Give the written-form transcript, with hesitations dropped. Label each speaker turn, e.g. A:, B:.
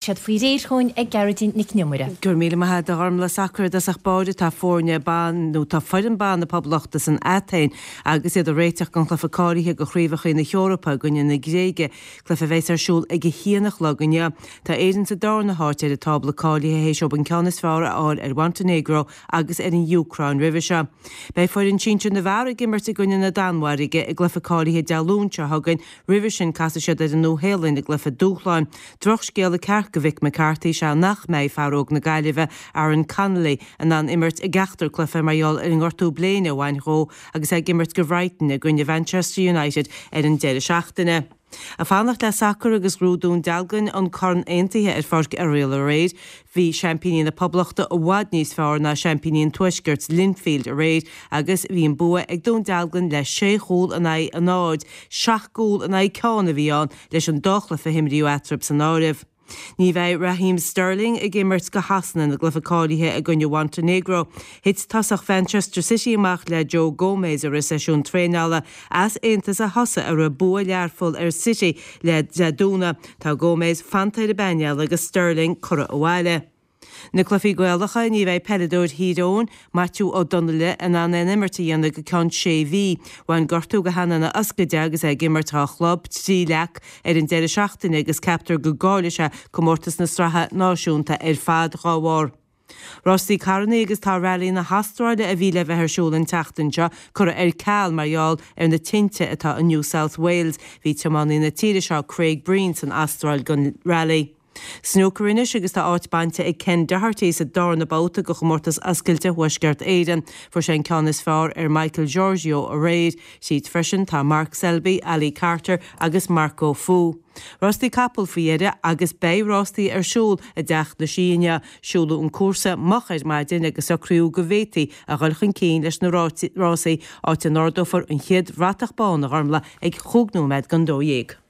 A: Siad faoi réir chugainn ag Gearóidín Nic an Iomaire.
B: Go raibh míle maith agat a Ghormlaith. Sacar i dtosach báire tá foirne ban nó tá foireann ban na Poblachta san Atéin agus iad ag réiteach don chluiche cáilithe do Chraobhacha na hEorpa i gcoinne na Gréige, cluiche a bheas ar siúl ag a haon a chlog inniu. Tá Éirinn sa darna háit ar an tábla cáilithe théis dóibh an ceann is fearr a fháil ar Mhontainéagró agus ar an Úcráin roimhe seo. Beidh foireann sinsir na bhfear ag imirt i gcoinne na Danmhairge i gcluiche cáilithe Dé Luain seo chugainn, roimhe sin casfaidh siad ar an Nua-Shéalainn i gcluiche dúshláin. Drochscéala ceart do Mhick McCarthy is ea nach mbeidh fear óg na Gaillimhe, Aaron Connolly, in ann imirt i gceachtar cluiche mar gheall ar an ngortú bléine a bhain dhó agus é ag imirt do Bhrighton i gcoinne Mhanchester United ar an deireadh seachtaine. Ag fanacht le sacar agus ghnóthaigh Dún Dealgan an Corn Aontaithe ar Pháirc Oiriall aréir. Bhí seaimpíní na Poblachta i bhfad níos fearr ná seaimpíní an Tuaiscirt, Linfield, aréir agus bhí an bua ag Dún Dealgan le sé chúl in aghaidh a náid, seacht gcúl in aghaidh ceann a bhí ann leis an dá chluiche a himríodh eatarthu san áireamh. Ní bheidh Raheem Sterling ag imirt do Shasana ina gcluiche cáilithe i gcoinne Mhontainéagró. Thit tosach Mhanchester City amach le Joe Gomez i rith seisiún traenála easaontas a thosaigh a raibh bua Learpholl ar City le Dé Domhnaigh. Tá Gomez fanta ar an bpainéal agus Sterling curtha abhaile. Na cluichí Gaelacha, ní bheidh peileadóir Thír Eoghain, Maitiú Ó Donnaile, in ann aon imirt a dhéanamh go ceann sé mhí. Bhain gortú go hana ina fhoscadh de agus é ag imirt dhá chlub trí Leac ar an deireadh seachtaine agus ceaptar go gcaillfidh sé comórtas na sraithe náisiúnta ar fad dhá bharr. Rásaí carrannaí agus tá Rally na hAstráile a bhí le bheith ar siúl an tseachtain seo curtha ar ceal mar gheall ar na tinte atá i New South Wales. Bhí tiománaí na tíre seo Craig Breen san Astráil don Rally. Snúcar anois agus tá áit bainte ag Ken Doherty sa darna babhta de Chomórtas Oscailte Thuaisceart Éireann. Fuair sé an ceann is fearr ar Michael Georgiou aréir. Tríd freisin tá Mark Selby, Ali Carter agus Marco Fu. Rástaí capall faoi dheireadh agus beidh rástaí ar siúl i dTeach na Sí inniu. Siúladh an cúrsa moch ar maidin agus socraíodh go bhféadfaí a dhul chun cinn leis na rásaí, áit a n-ardófar an chéad bhratach bán, a Ghormlaith, ag chúig nóiméad don 12.